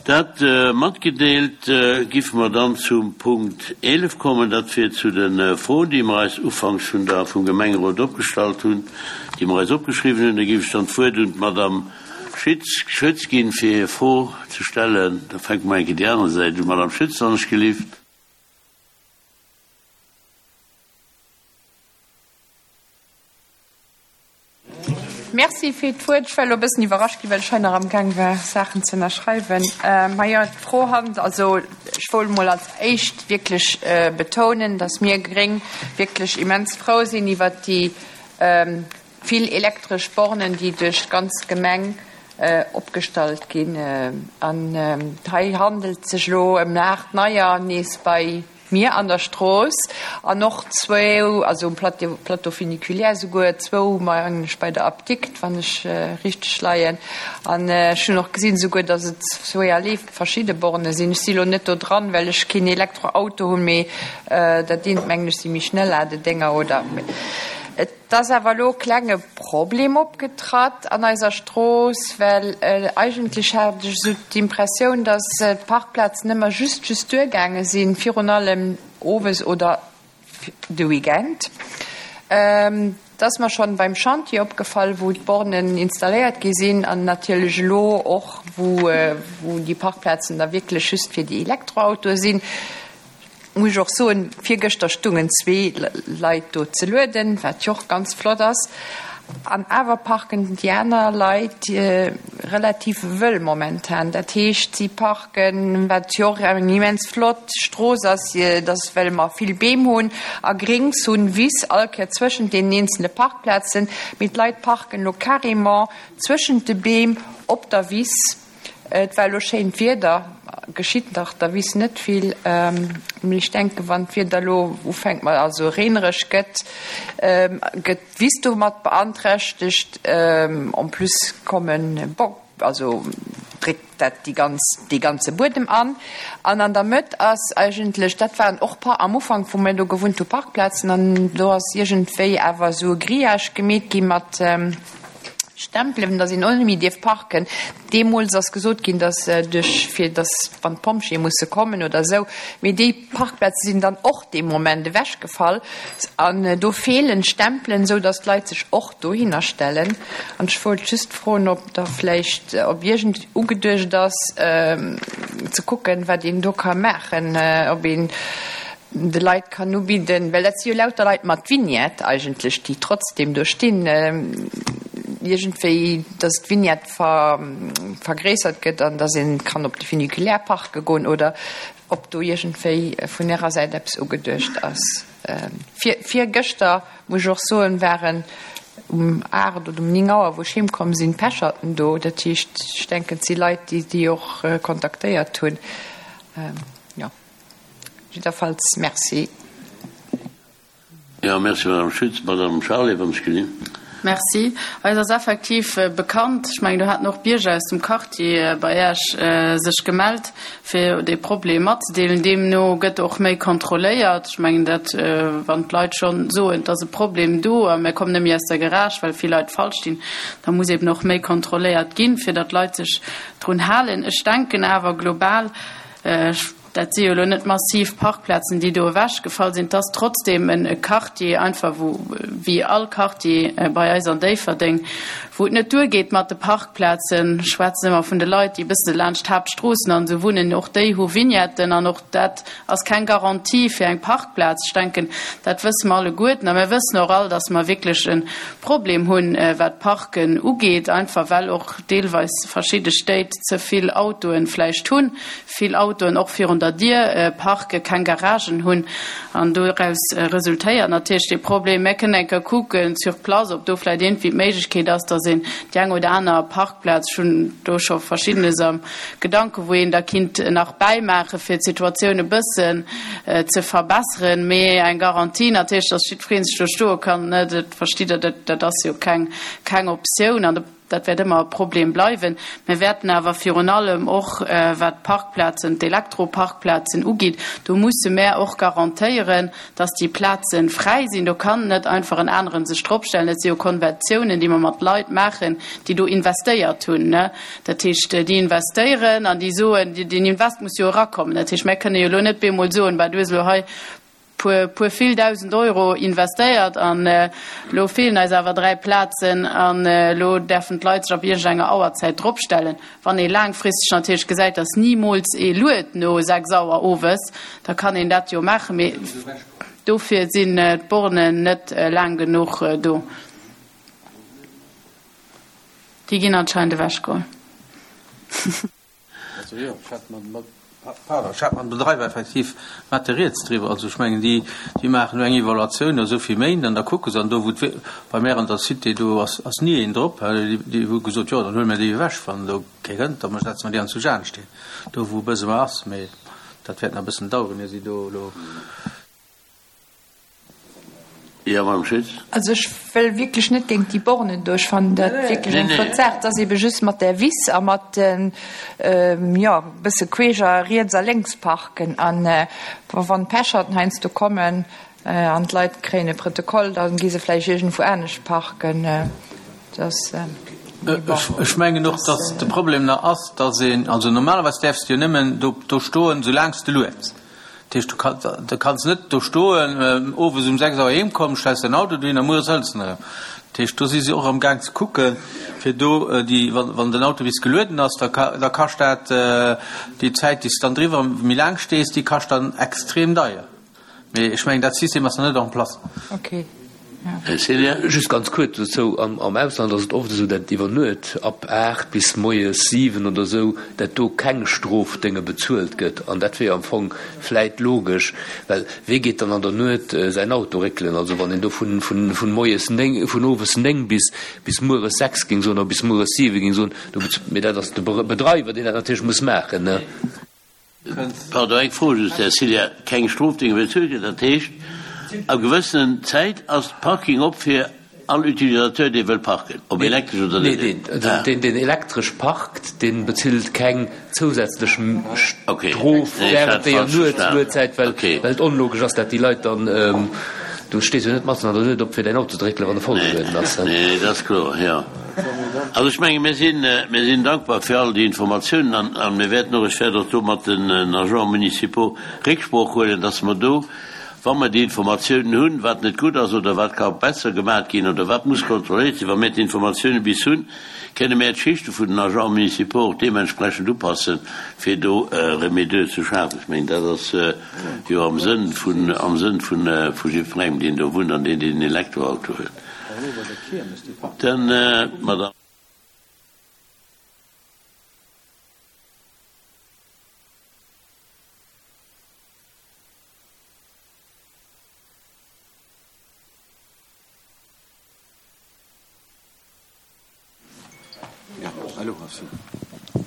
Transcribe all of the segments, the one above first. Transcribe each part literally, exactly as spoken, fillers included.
Dat matgedeelt, giffe mer dann zum Punkt eelef kommen, dat wier zu de Froen, déi mer eis ufanks vun der, vum Gemengerot opgestallt hunn, déi mer eis opgeschriwwen hunn. Da géif ech dann d'Wuert un d'Madame Schütz, Schütz ginn, fir hir Fro ze stellen. Da fänke mer eng Kéier déi aner Säit un. Madame Schütz, wann ech gelift. Merci fir d'Wuert. Ech war elo e bëssen iwwerrascht ginn, well ech hei nach amgaang war, Saachen ze ënnerschreiwen. Majo, d'Fro hand, also ech wollt emol als éischt wierklech betounen, dass mir Gréng wierklech immens frou sinn iwwert déi vill elektresch Bornen, déi duerch d'ganz Gemeng opgestallt ginn. An hei handelt et sech elo ëm aacht neier nees bei mir an der Strooss an och zwou, also um Plateau, Plateau funiculaire souguer zwou, mengen ech, bei der Apdikt, wann ech richteg leien. An ech hunn och gesinn souguer, datt et zweeërlee verschidde Borne sinn. Ech si lo net do dran, well ech keen Elektroauto hunn, mee dat eent, mengen ech, si méi Schnelladedénger oder. Et ass awer elo e klenge Problem opgetratt an eiser Strooss, well eigentlech hat ech esou d'Impressioun, datt d'Parkplazen ëmmer just just duergaange sinn, virun allem owes oder de Weekend. Et ass mer schonn beim Chantier opgefall, wou d'Bornen installéiert gi sinn an natierlech elo och, wou déi Parkplazen da wierklech just fir déi Elektroautoe sinn. Muss ech och soen, virgëschter stungen zwee Leit do ze lueden, wat jo och ganz flott ass. An awer parken déi aner Leit relativ wëll momentan. Dat heescht, si parken, wat jo och eng immens flott Strooss ass, dass, well mer vill Beem hunn a Grings hunn, Wiss all Kéier zwëschent deenen eenzele Parkplazen, mee d'Leit parken elo carrément zwëschent de Beem op der Wiss. Et war elo schéint Wieder, geschitt nach der Wiss net vill, mee ech denken, wann d'Wieder elo ufänkt mat, also reenereg gëtt, gëtt d'Wiss domat beanträchtegt. En plus kommen, bon, also dréckt dat déi ganz, dee ganze Buedem an. An an der Mëtt ass eigentlech, dat waren och par, am Ufank, wou mir do gewunnt hu, Parkplazen, an do ass iergendwéi awer esou e Grillage gemeet gi mat, Stempelen, dass een och net méi dierf parken. Deemools ass gesot ginn, dass duerch, fir dass wann d'Pompjeeë musse kommen oder esou, mee déi Parkplaze sinn dann och dee Moment ewechgefall an do feelen d'Stempelen, esou dass d'Leit sech och dohinner stellen. An ech wollt just froen, ob da vläicht, ob iergend ugeduecht ass ze kucken, wat een do ka maachen, ob een de Leit kann ubidden, well dat si jo lauter Leit mat Vignette eigentlech, déi trotzdem do stinn, iergendwéi, dass d'Vignette ver, vergréissert gëtt an dass ee kann op de Funiculaire parke goen oder ob do iergendwéi vun Ärer Säit eppes ugeduecht ass. Vir, virgëschter, muss ech och soen, waren um aacht oder um néng Auer, wou ech heemkomm sinn, Pecherten do. Dat heescht, ech denken, et si Leit, déi déi och kontaktéiert hunn. Jo. Jiddwerfalls Merci. Jo, merci, Madame Schütz. Madame Charlé, wann ech gesinn. Merci. Eis ass effektiv bekannt, ech mengen, do haten och Bierger aus dem Quartier bei Iech sech gemellt, fir dee Problem matzedeelen. Deemno gëtt och méi kontrolléiert. Ech mengen dat, wann d'Leit schonn soen, et ass e Problem do a mir kommen net méi aus der Garage, well vill Leit falsch stinn, da muss eben och méi kontrolléiert ginn, fir datt d'Leit sech drun halen. Ech denken awer global, ech Dat si jo elo net massiv Parkplazen, déi do ewechgefall sinn. Et ass trotzdeem e Quartier einfach, wou, wéi all Quartier bei eis an Déifferdeng, wou et net duergeet mat de Parkplazen. Ech schwätzen ëmmer vun de Leit, déi e bësse laanscht d'Haaptstroossen an esou wunnen. Och déi hu Vignetten an och dat ass keng Garantie fir eng Parkplaz. Ech denken, dat wësse mer alleguerten. A mir wëssen och all, dass mer wierklech e Problem hunn, wat d'Parken ugeet, einfach well och deelweis verschidde Stéit ze vill Autoen vläicht hunn. vill Autoen och virun der Dier parken, keng Garagen hunn an doraus resultéiert natierlech dee Problem. Mär kënnen eng Kéier kucken sur place, ob do vläicht iergendwéi d'Méiglechkeet ass, dass een déi eng oder aner Parkplaz, ech hunn do scho Verschiddenes am Gedanken, wou een da kinnt nach bäimaachen, fir d'Situatioun e bëssen ze verbesseren. Mee eng Garantie natierlech, dass jiddweree sech do stoe kann, dat verstitt Der, dat ass jo keng, keng Optioun. An de. Dat wäert ëmmer e Problem bleiwen. Mir wäerten awer virun allem och, wat d'Parkplazen, d'Elektroparkplazen ugeet, do musse mär och garantéieren, dass déi Plaze fräi sinn. Do kann net einfach en aneren sech dropstellen. Dat si jo Konventiounen, déi mer mat Leit maachen, déi do investéiert hunn. Dat heescht, déi investéieren an déi soen, deen Invest muss jo erakommen. Dat heescht, mär kënne jo elo net bemol soen, bah, du hues elo hei puer, puer vill dausend Euro investéiert an elo feelen eis awer dräi Plazen an elo däerfen d'Leit sech ab iergendenger Auerzäit dropstellen. Wann ee laangfristeg natierlech gesäit, datt nimools ee luet no sechs Auer owes, da kann een dat jo maachen, mee dofir sinn d'Bornen net laang genuch do. Déi ginn anscheinend ewechgeholl. Also jo, ech hat mat, pardon, ech hat mam Bedreiwer effektiv mat de Rieds driwwer. Also ech mengen, déi, déi maachen elo eng Evaluatioun no esou vill Méint an da kucke se. An do wou d'We, bei mär an der Cité, do ass, ass ni een drop. Déi, déi hu gesot, jo, dann huele mir déi ewech, wann do kee kënnt, da setze mer déi an zu Jaansteen, do wou e Bësem ass. Mee dat wäert nach e bëssen daueren, ier si do elo. Jo, Madame Schütz. Also ech wëll wierklech net géint déi Bornen do. Ech fannen dat wierklech eng flott Saach. Et ass ebe just mat där Wiss a mat den, jo, e bësse queesch a riets a lénks parken. An wann d'Pecherten heiansdo kommen an d'Leit kréien e Protokoll, da gi se vläicht iergendwou anescht parken. Dat ass, mee bon. Ech mengen och, dass de Problem nach ass, dass een, also normalerweis däerfs de jo nëmmen do stoen, soulaang s de lueds. Dat heescht, du kanns net do stoen, owes um sechs Auer heem kommen, stells däin Auto dohin a mueres hëls en erëm. Dat heescht, do si se och am Gaang ze kucken, fir do déi, wann den Auto bis gelueden ass, da da kascht dat déi Zäit, déi s de dann driwwer méi laang stees, déi kascht dann extrem deier. Mee ech mengen, dat System ass nach net en place. Okay. Här Celier. Just ganz kuerz dozou, Am Ausland ass et oft esou, dat iwwer Nuet ab aacht bis moies siwen oder esou, dat do keng Strofdénge bezuelt gëtt. An dat wier jo am Fong vläit logesch, well wee geet dann an der Nuet säin Auto réckelen? Also wann een do vun moies néng, vun owes néng bis bis mueres sechs géing soen oder bis mueres siwe géing soen, do bezuelt, mee dat ass de Bedreiwer, deen dat natierlech muss maachen, ne? Pardon, eng Fro just, Här Ciliar, Keng Strofdénge bezuelt ginn, dat heescht, a gewëssenen Zäit ass Parking op fir all Utilisateur, dee wëll parken, ob elektresch oder net? Nee, deen, deen elektresch parkt, dee bezilt keng zousätzlech Strof während déier Nuetszäit, well et onlogesch ass, dat déi Leit dann, du stees jo net matzen an der Nuet op, fir däin Auto ze dréckelen, wann e vollgelueden ass. Nee, dat ass kloer, jo. Also ech menge mir sinn, mir sinn dankbar fir all déi Informatiounen an, a mir wäerten och, ech wäert och do mat den Agents municipaux Récksprooch huelen, dass mer do, wa mer déi Informatiounen hunn, wat net gutt ass oder wat ka besser gemaach ginn oder wat muss kontrolléiert sinn, wa mir d'Informatiounen bis hunn, kënne mär d'Schichte vun den Agents municipaux och deementsprechend upassen, fir do Remédier ze schafen. Ech mengen, dat ass jo am Sënn vun, am Sënn vun, vu jiddwerengem, deen do wunnt an deen, deen en Elektroauto huet. Dann d'Madame.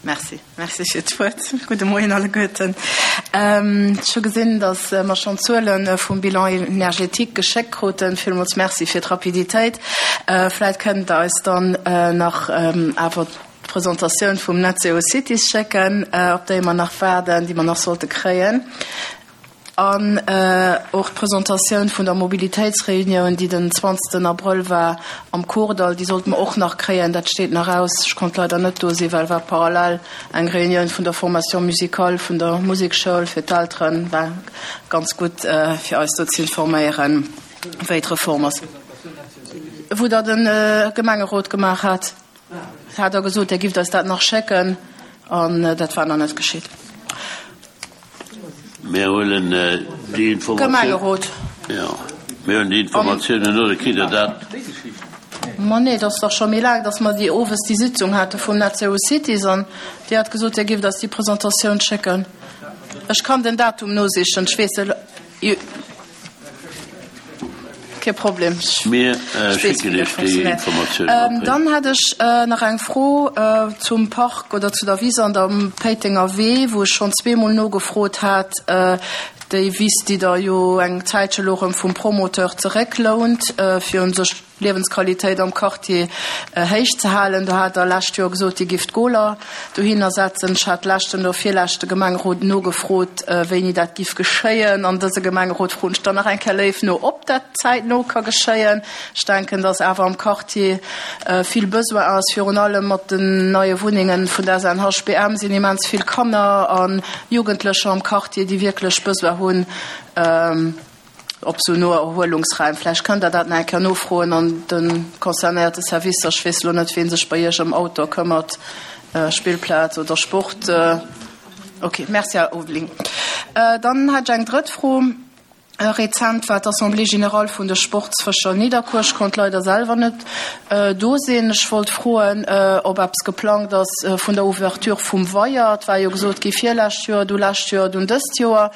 Merci. Merci fir d'Wuert. Gudde Moien alleguerten. Ech hu gesinn, datt mer schonn d'Zuele vum Bilan énergétique geschéckt kruten. Villmools Merci fir d'Rapiditéit. Vläicht kënnt Der eis dann nach awer d'Presentatioun vum Net Zero Cities schécken, op déi mer nach waarden, déi mer nach sollte kréien. An och d'Presentatioun vun der Mobilitéitsreunioun, déi den zwanzegsten Abrëll war am Kordall, déi sollte mer och nach kréien. Dat steet nach aus. Ech konnt leider net do sinn, well war parallel eng Reunioun vun der Formation musicale vun der Musekschoul fir d'Elteren. War ganz gutt, fir eis do ze informéieren, wéi d'Reform ass. Wou Der de Gemengerot gemaach hat, hat Der gesot, Der gifft eis dat nach schécken, an dat war nach net geschitt. Mir huelen déi Informatioun. Jo, mir huelen déi Informatiounen no, da kritt Der dat. Ma nee, et ass dach scho méi laang, datt mer déi owes déi Sitzung hate vum Net Zero Cities an Dir hat gesot, Dir gifft eis déi Presentatioun schécken. Ech kann den Datum nosichen, ech weess elo. Kee Problem. Mir schécken Iech déi Informatioun. Dann hätt ech nach eng Fro zum Park oder zu der Wiss an der Péitenger Wee, wou ech schonn zweemol nogefrot hat. Déi Wiss, déi Der jo eng Zäitche lo erëm vum Promoteur zerécklount, fir un sech Liewensqualitéit am Quartier héich ze halen. Do hat Der lescht Joer gesot, Dir gifft d'Goler dohinner setzen. Ech hat leschten oder virleschte Gemengerot nogefrot, wéini dat giff geschéien. An dëse Gemengerot froen ech dann nach eng Kéier léif no, ob dat zäitno ka geschéien. Ech denken, dass awer am Quartier vill Besoin ass. Virun allem mat den neie Wunnengen vun der S N H B M sinn immens vill Kanner a Jugendlecher am Quartier, déi wierklech Besoin hunn op sou no Erhuelungsraim. Vläicht kënnt Der dat nach eng Kéier nofroen an de concernéierte Servicer. Ech weess elo net, wien sech bei Iech ëm Outdoor këmmert, Spillplaz oder Sport. Ok, merci, Här Ulveling. Dann hätt ech eng drëtt Fro. Rezent war d'Assemblée générale vun de Sportsfëscher Nidderkuer. Ech konnt leider selwer net do sinn. Ech wollt froen, ob eppes geplangt ass vun der Ouverture vum Weier. Et war jo gesot gi virlescht Joer, du lescht Joer, dunn dëst Joer.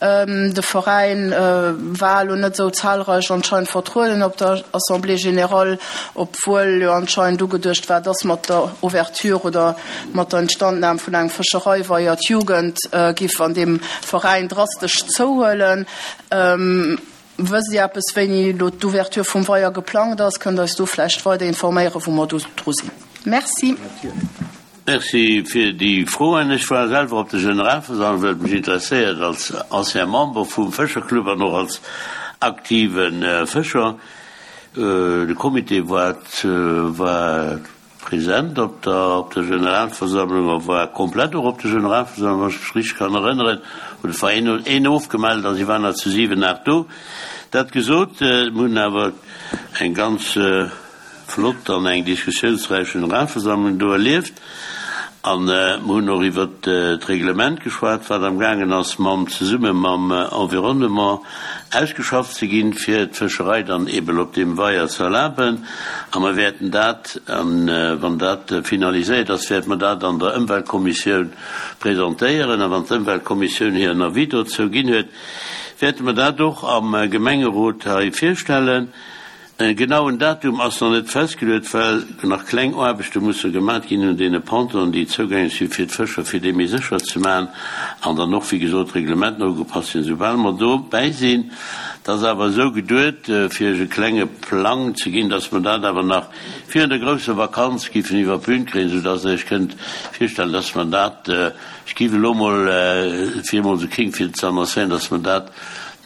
De Veräin war elo net esou zahlreich anscheinend vertrueden op der Assemblée générale, obwuel jo anscheinend ugeduecht war, dass mat der Ouverture oder mat der Instandnahme vun engem Fëschereiweier d'Jugend giff an deem Veräin drastesch zouhuelen. Wësst Dir eppes, wéini elo d'Ouverture vum Weier geplangt ass? Kënnt Der eis do vläicht weider informéieren, wou mer do dru sinn? Merci. Merci fir déi Froen. Ech war selwer op der Generalversammlung, well et mech interesséiert als ancien Member vum Fëscherclub an och als aktive Fëscher. De Comité war war present op der op der Generalversammlung a war komplett och op der Generalversammlung, wann ech mech richteg kann erënneren, oder et war een een ofgemellt a si waren der zu siwen, aacht do. Dat gesot, mir hunn awer eng ganz flott an eng diskussiounsräich Generalversammlung do erlieft an mir hunn och iwwert d'Reglement geschwat, wat amgaangen ass mam zesumme mam Environnement ausgeschafft ze ginn, fir d'Fëscherei dann eeben op deem Weier ze erlaben. A mer wäerten dat, wann dat finaliséiert ass, wäerte mer dat an der Ëmweltkommissioun presentéieren. A wann d'Ëmweltkommissioun hiren Avis dozou ginn huet, wäerte mer dat och am Gemengerot hei virstellen. E genauen Datum ass nach net festgeluet, well nach kleng Aarbechte musse gemat ginn un deene Pontonen, déi zougänglech si fir d'Fëscher, fir déi méi sécher ze maachen, an dann och, wéi gesot, d'Reglementen ugepasst sinn. Soubal mer dobäi sinn, dat ass awer esou geduet, fir Iech e klenge Plang ze ginn, dass mer dat awer nach virun der grousser Vakanz giffen iwwer d'Bün kréien, soudass Der Iech kënnt virstellen, dass mer dat, ech géif elo mol fir emol esou kéng fir ze annoncéieren, dass mer dat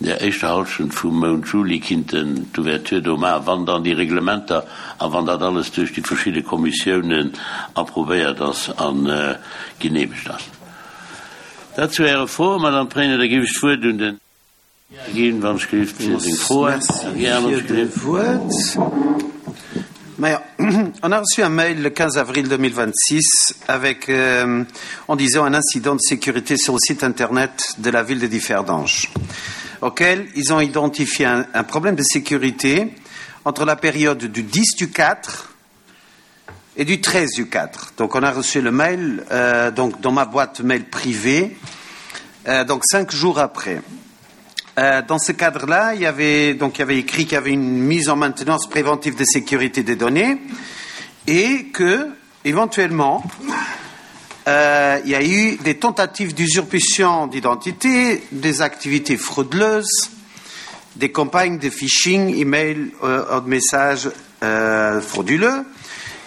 an der éischter Hallschent vum Mount Juli kinnten d'Ouverture do maachen, wann dann déi Reglementer a wann dat alles duerch déi verschidde Kommissiounen approvéiert ass a geneemegt ass. Dat zu Äre Froen, Madame Pregno. Da géif ech d'Wuert un den Här ginn, wann ech gelift, fir seng Froen. Merci fir d'Wuert. Maja, on a reçu un mail le quinze avril deux mille vingt-six avec, euh, en disant un incident de sécurité sur le site internet de la ville de Differdange, auquel ils ont identifié un, un problème de sécurité entre la période du dix du quatre et du treize du quatre. Donc on a reçu le mail euh, donc dans ma boîte mail privée, euh, donc cinq jours après. Euh, dans ce cadre-là, il y avait donc il y avait écrit qu'il y avait une mise en maintenance préventive de sécurité des données et que éventuellement euh, il y a eu des tentatives d'usurpation d'identité, des activités frauduleuses, des campagnes de phishing, email euh, de messages euh, frauduleux.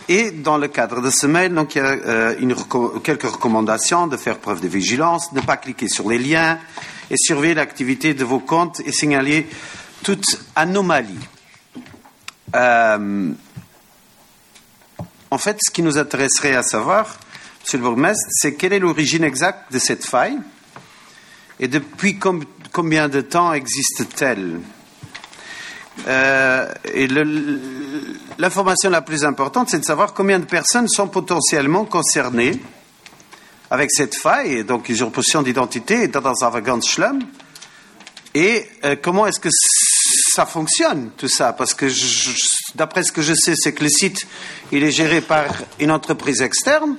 Et dans le cadre de ce mail, donc, il y a euh, une, quelques recommandations de faire preuve de vigilance, ne pas cliquer sur les liens et surveiller l'activité de vos comptes et signaler toute anomalie. Euh, en fait, ce qui nous intéresserait à savoir, Monsieur le bourgmestre, c'est quelle est l'origine exacte de cette faille et depuis com combien de temps existe-t-elle? euh, Et l'information la plus importante, c'est de savoir combien de personnes sont potentiellement concernées avec cette faille, donc usurpation d'identité, dat ass awer ganz schlëmm. Et euh, comment est-ce que ça fonctionne, tout ça? Parce que d'après ce que je sais, c'est que le site, il est géré par une entreprise externe.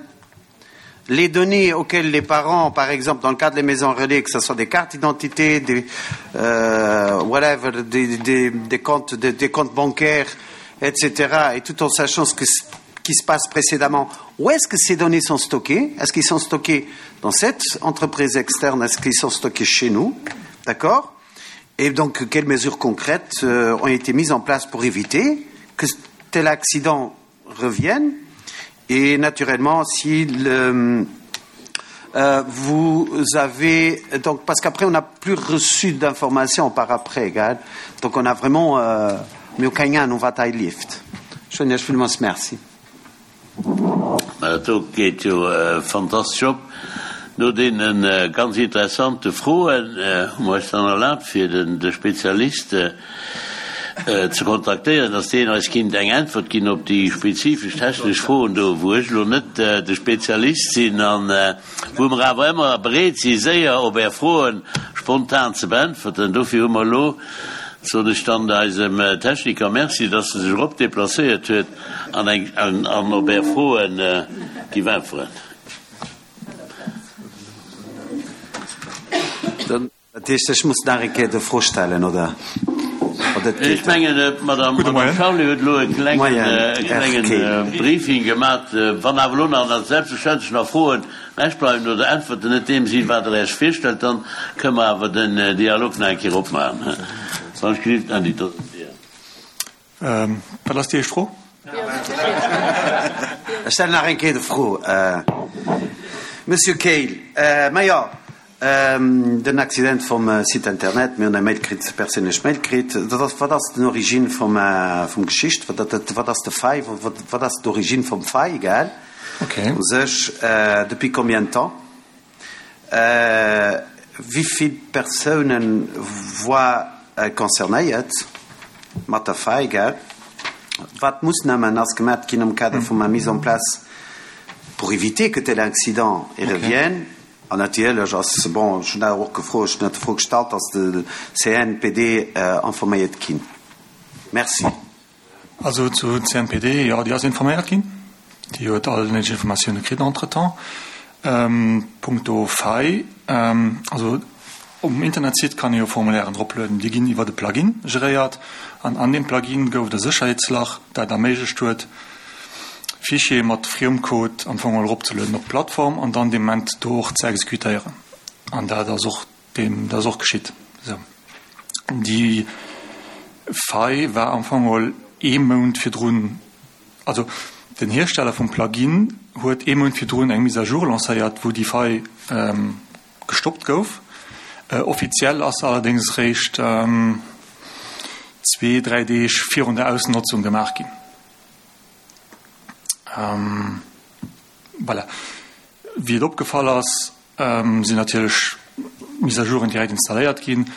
Les données auxquelles les parents, par exemple, dans le cadre des maisons relais, que ce soit des cartes d'identité, des, euh, whatever, des, des, des, comptes, des, des comptes bancaires, et cetera, et tout en sachant ce que, qui se passe précédemment, où est-ce que ces données sont stockées? Est-ce qu'ils sont stockés dans cette entreprise externe? Est-ce qu'ils sont stockés chez nous? D'accord? Et donc, quelles mesures concrètes euh, ont été mises en place pour éviter que tel accident revienne et naturellement si le, euh, vous avez donc parce qu'après on n'a plus reçu d'informations par après gell? Donc on a vraiment euh, mir hu keng Ahnung wat hei leeft. Ech soen Iech villmools Merci. Mä dat do geet jo fantastesch op. No deene ganz interessante Froen hu mer eis dann erlaabt, fir de Spezialist ze kontaktéieren, dass deen eis kinnt eng Äntwert ginn op déi spezifesch technesch Froen do, wou ech elo net de Spezialist sinn a wou mer awer ëmmer bereet si séier op Är Froe spontan ze beäntwerten. Dofir hu mer elo, soen ech dann eisem Techniker Merci, dass e sech erop deplacéiert huet an eng an op Är Froe giff äntweren. Dat heescht, ech muss nach eng Kéier de Fro stellen, oder? Oder et Ech geet? mengen, d'Madame Gudde Moien. Charlé huet elo e klengen, Moien, e Här klengen Kehl. Briefing gemat. Wann awer elo nach selbstverständlech nach Froen ewech bleiwen oder Äntwerten net deem sinn, wat Der Iech virstellt, dann kënne mer awer den Dialog nach eng Kéier opmaachen. Wann ech gelift, Andy, dat ass un dir. Wat ass déi éischt Fro? Ech stellen nach eng Kéier de Fro, Monsieur Kehl. Majo, den Accident vum Site internet, mir hunn eng Mail kritt, perséinlech Mail kritt. Dat ass, wat ass den Origine vum, vum Geschicht? Wat, dat, wat ass de Fait? Wat, wat ass d'Origine vum Fait, gell? Okay. U sech, depuis combien de temps? Wéi vill Persounen war concernéiert mat der Faille, gell? Wat Moossnamen ass gemat ginn am Kader vum der Mise en place pour éviter que tel incident y revienne? An natierlech ass, bon, ech hunn dat och gefrot, ech hunn dat d'Fro gestallt, ass de C N P D informéiert ginn? Merci. Also zu C N P D, jo, déi ass informéiert ginn. Déi huet all néideg Informatioune kritt entretemps. Punkto Faille, also um Internetsite kann ee jo Formulairen droplueden, déi ginn iwwert e Plugin geréiert an an deem Plugin gouf et e Sécherheetslach, dat erméiglecht huet, Fichiere mat Friemcode am Fong eropzelueden op d'Plattform an dann dee Moment do och ze exekutéieren. An dat ass och deem, dat ass och geschitt. Esou. Déi Faille war am Fong geholl ee Mount virdrun, also den Hiersteller vum Plugin huet ee Mount virdrun eng Mise à jour lancéiert, wou déi Faille gestoppt gouf. Offiziell ass se allerdéngs eréischt zwee, dräi Deeg virun der Ausnotzung gemaach ginn. Voilà. Wéi et opgefall ass, sinn natierlech Mise à jouren direkt installéiert ginn.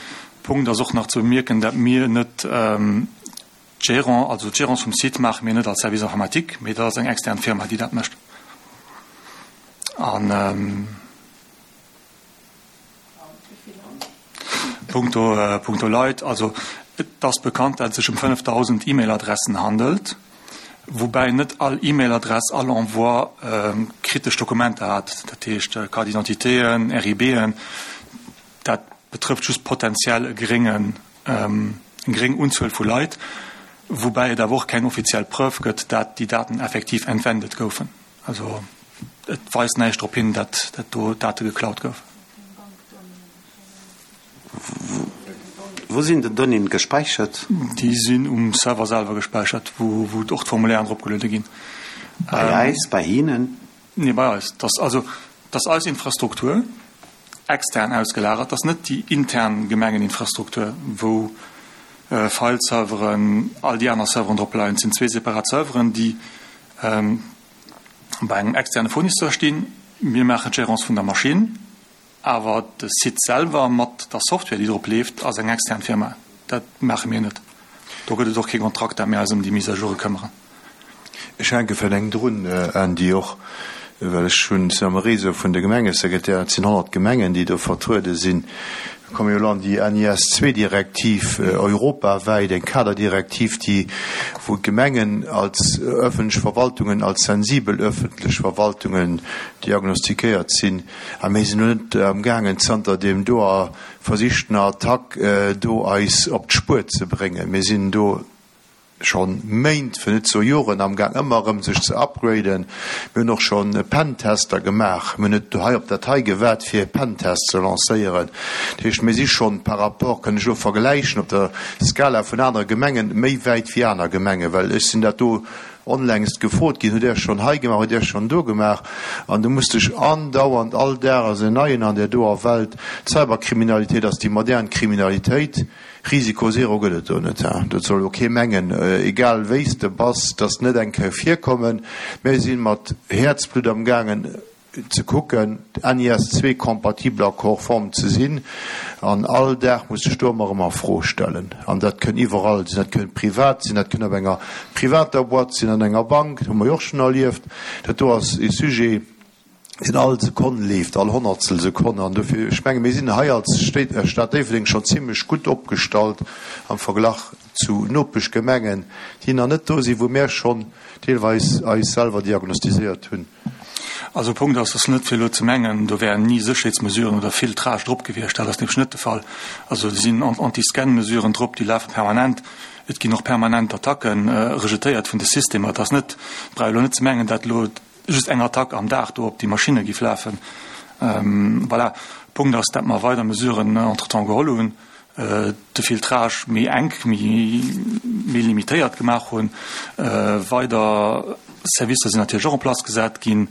Punkt ass och nach ze bemierken, dat mir net d'Gérant, also d'Gérance vum Site maache mir net als Service informatique, mee dat ass eng extern Firma, déi dat mécht. An punkto, punkto Leit, also et ass bekannt, dat et sech ëm fënnefdausend E-Mail-Adressen handelt, woubäi net all E-Mail-Adress, all Envoi kritesch Dokumenter hat, dat heescht Carte d'identitéen, R I B'en, dat betrëfft just potenziell e geréngen, eng geréng Unzuel vu Leit, woubäi et awer och keng offiziell Preuve gëtt, dat déi Daten effektiv entwendet goufen. Also et weist näischt drop hin, dat dat do Date geklaut goufen. Wou sinn déi Donnéeën gespäichert? Déi sinn um Server selwer gespäichert, wou wou och d'Formulairen eropgeluede ginn. Bei eis? Bei hinnen? Nee, bei eis. Dat ass also, dat ass eis Infrastruktur, extern ausgelagert. Dat ass net déi intern Gemengeninfrastruktur, wou File-Serveren, all déi aner Serveren drop leien. Et sinn zwee separat Serveren, déi bei engem externe Fournisseur stinn. Mir maachen d'Gérance vun der Maschinn, awer de Site selwer mat der Software, déi drop leeft, ass eng extern Firma. Dat maache mir net. Do gëtt et och kee Kontrakt, dat mir eis ëm déi Mise à joure këmmeren. Ech hänke vläicht eng drun, Andy, och well ech hunn, sinn am Réseau vun de Gemengesekretären, et sinn honnert Gemengen, déi do vertruede sinn. Mir komme jo elo an déi N I S zwee Direktiv europawäit, eng Kaderdirektiv, déi, wou d'Gemengen als öffentlech Verwaltungen, als sensibel öffentlech Verwaltungen diagnostiquéiert sinn. A mir sinn elo net amgaangen, zanter deem doer versichtener Attack do eis op d'Spuer ze bréngen. Mir sinn do schonn Méint, fir net ze soe Joren amgaang ëmmer erëm sech ze upgraden. Mir hunn och schonn Pentester gemaach. Mir hunn net hei op dat hei gewaart, fir e Pentest ze lancéieren. Dat heescht, mir si schonn par rapport, kënn ech elo vergläichen, op der Skala vun anere Gemengen, méi wäit wéi aner Gemengen, well ech sinn dat do onlängst gefrot ginn, Hutt Där schonn hei gemaach, hutt Där schonn do gemaach? An du muss dech andauernd, all Dag ass en Neien an där doer Welt. D'Cyberkriminalitéit ass déi modern Kriminalitéit. Risiko zero gëtt et do net. Dat soll elo kee mengen, egal wéi s de bass, dass net eng Kéier virkommen. Mir si mat Häerzblutt amgaangen ze kucken, N I S zwee kompatibel a konform ze sinn. An all Dag muss sech do ëmmer erëm a Fro stellen. An dat kënn iwwerall sinn. Dat kënn privat sinn, dat kënn op enger privater Boîte sinn, an enger Bank, dat hu mer jo och schonn erlieft. Dat do ass e Sujet, deen all Sekonn leeft, all Honnertstel Sekonn. An dofir, ech menge mir sinn hei als Stad Déifferdeng schonn zimlech gutt opgestallt am Verglach zu Nopeschgemengen, déi nach net do sinn, wou mär schonn deelweis eis selwer diagnostiséiert hunn. Also Punkt ass, ass net fir elo ze mengen, do wären ni Sécherheetsmesuren oder Filtrage drop gewiescht. Dat ass nämlech net de Fall. Also et sinn Anti-Scan-Mesuren drop, déi lafe permanent. Et ginn och permanent Attacke rejetéiert vun de Systemer. Et ass net, et brauch ee elo net ze mengen, dat elo just eng Attack am Dag do op déi Maschinne géif lafen. Voilà. Punkt ass, dat mer weider Mesuren entretemps geholl hunn, de Filtrage méi enk, méi, méi limitéiert gemaach hunn. Weider Servicer sinn natierlech och en place gesat ginn,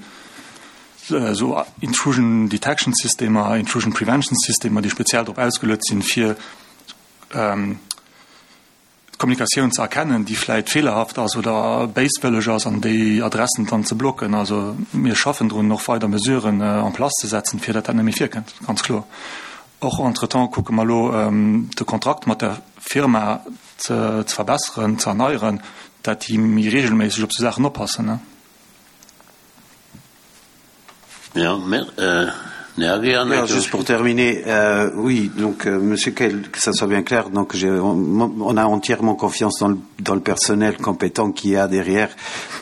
esou Intrusion Detection Systemer, Intrusion Prevention Systemer, déi speziell drop ausgeluet sinn, fir d'Kommunikatioun ze erkennen, déi vläit feelerhaft ass oder béiswëlleg ass, an déi Adressen dann ze blocken. Also mir schaffen drun, och weider Mesuren en place ze setzen, fir datt dat net méi virkënnt, ganz kloer. Och entretemps kucke mer elo, de Kontrakt mat der Firma ze verbesseren, ze erneieren, dat déi méi regelméisseg op sou Saachen oppassen. Ja, mer, euh, Ja, juste pour terminer, euh, oui, donc euh, Monsieur Kehl, que ça soit bien clair, donc on, on a entièrement confiance dans le, dans le personnel compétent qu'il y a derrière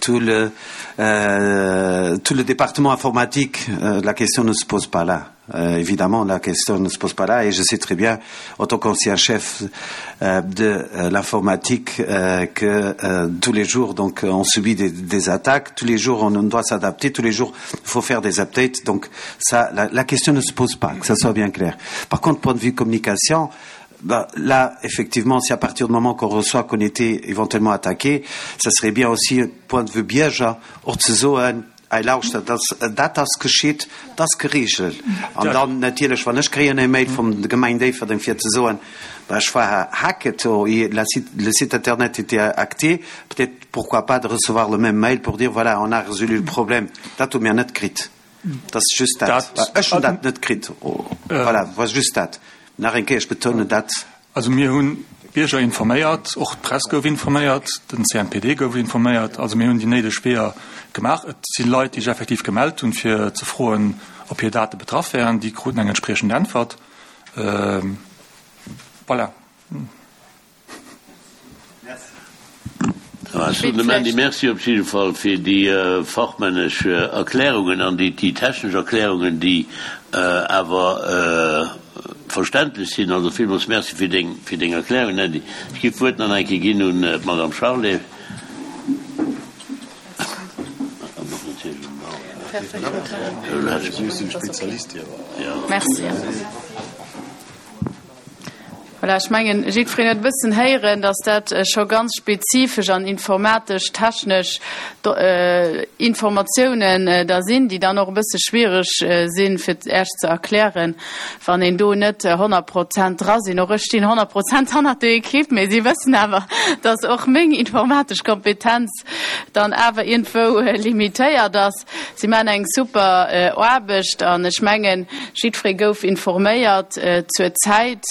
tout le, euh, tout le département informatique. Euh, la question ne se pose pas là. Euh, évidemment, la question ne se pose pas là et je sais très bien, en tant qu'ancien chef euh, de euh, l'informatique, euh, que euh, tous les jours, donc, on subit des, des attaques, tous les jours, on, on doit s'adapter, tous les jours, il faut faire des updates. Donc, ça, la, la question ne se pose pas, que ça soit bien clair. Par contre, point de vue communication, ben, là, effectivement, si à partir du moment qu'on reçoit qu'on était éventuellement attaqué, ça serait bien aussi, point de vue Bierger, och ze soen, Ei lauschtert, dat, dat ass geschitt, dat ass geregelt. An dann natierlech, wann ech kréien e Mail vum der Gemeng Déifferdeng fir ze soen, bah, ech war hacked, le site, le site internet était hacké, peut-être pourquoi pas de recevoir le même mail pour dire, voilà, on a résolu le problème. Dat hu mir net kritt. Dat ass just dat. Ech hunn dat net kritt. Voilà, war just dat. Nach eng Kéier, ech betounen dat. Also mir hunn d'Bierger informéiert, och d'Press gouf informéiert, den C N P D gouf informéiert. Also mir hunn déi néideg Weeër gemaach. Et si Leit, déi sech effektiv gemellt hunn, fir ze froen, ob hir Date betraff wären. Déi kruten eng entspriechend Äntwert. Voilà. Ech soen dem Andy Merci op jidde Fall fir déi fachmännesch Erklärungen an déi technesch Erklärungen, déi awer verständlech sinn. Also villmools Merci fir deng, fir deng Erklärungen, Andy. Ech géif d'Wuert nach eng Kéier ginn un d'Madame Charlé. Merci. Voilà, ech mengen, jiddwereen huet e bëssen héieren, dass dat scho ganz spezifesch an informatesch, technesch Informatiounen da sinn, déi dann och e bësse schwierig sinn, fir Iech ze erklären, wann een do net honnert Prozent dra sinn. Och ech stinn honnert Prozent hannert der Equipe, mee si wëssen awer, dass och meng informatesch Kompetenz dann awer iergendwou limitéiert ass. Si maachen eng super Aarbecht an ech mengen, jiddweree gouf informéiert zur Zäit,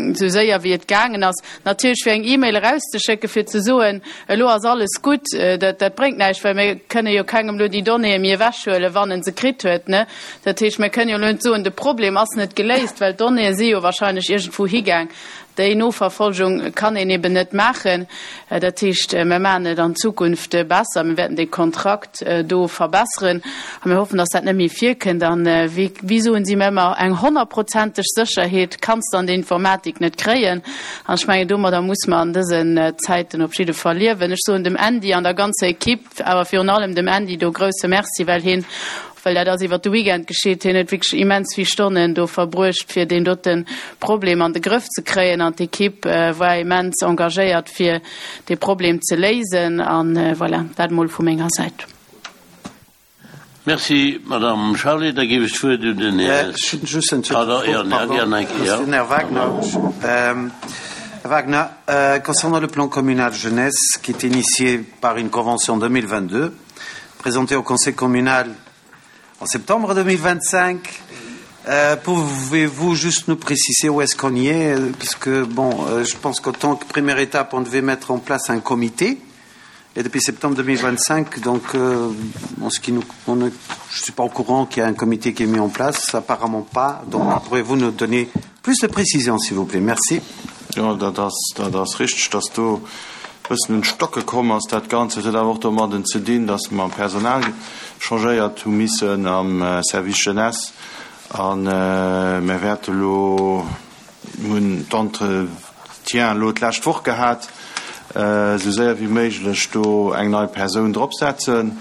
esou séier wéi et gaangen ass. Natierlech fir eng E-Mail erauszeschécken, fir ze soen, elo ass alles gutt, dat, dat bréngt näischt, well mir kënne jo kengem elo déi Donnéeë méi ewechhuelen, wann en se kritt huet, ne? Dat heescht, mir kënne jo elo net soen, de Problem ass net geléist, well d'Donnéeë si jo wahrscheinlech iergendwou higaang. Déi Noverfolgung kann een eben net maachen. Dat heescht, mir maachen et an Zukunft besser, mir wäerten dee Kontrakt do verbesseren a mir hoffen, dass dat net méi virkënnt. An wéi, wéi soen si mir ëmmer, eng honnertprozenteg Sécherheet kanns de an der Informatik net kréien. An ech mengen, domadder muss mer an dësen Zäiten op jidde Fall liewen. Ech soen dem Andy an der ganzer Equipe, awer virun allem dem Andy do grousse Merci, well hien, well dat ass iwwert de Weekend geschitt, hien huet wierklech immens vill Stonnen do verbruecht, fir deen dote Problem an de Grëff ze kréien. An d'Equipe war immens engagéiert, fir dee Problem ze léisen. An voilà, dat emol vu menger Säit. Merci, Madame Charlé. Da géif ech d'Wuert un den Här. Just eng Tëschefro, pardon, Här Wagner. Här Wagner, concernant le plan communal jeunesse qui est initié par une convention deux mille vingt-deux, présentée au Conseil communal en septembre deux mille vingt-cinq, pouvez-vous juste nous préciser où est-ce qu'on y est? Parce que, bon, je pense qu'en tant que première étape, on devait mettre en place un comité. Et depuis septembre deux mille vingt-cinq, donc, euh, en ce qui nous, on est, je suis pas au courant qu'il y a un comité qui est mis en place, apparemment pas. Donc, pourriez-vous nous donner plus de précisions, s'il vous plaît? Merci. Jo, dat ass, dat ass richteg, dass do e bëssen un d'Stocke komm ass, dat Ganzt. Et huet awer och domadden ze dinn, dass mer am Personal changéiert hu missen am Service Jeunesse. A mir wäerte elo, mir hunn d'Entretien elo d'lescht Woch gehat, esou séier wéi méiglech do eng nei Persoun dropsetzen,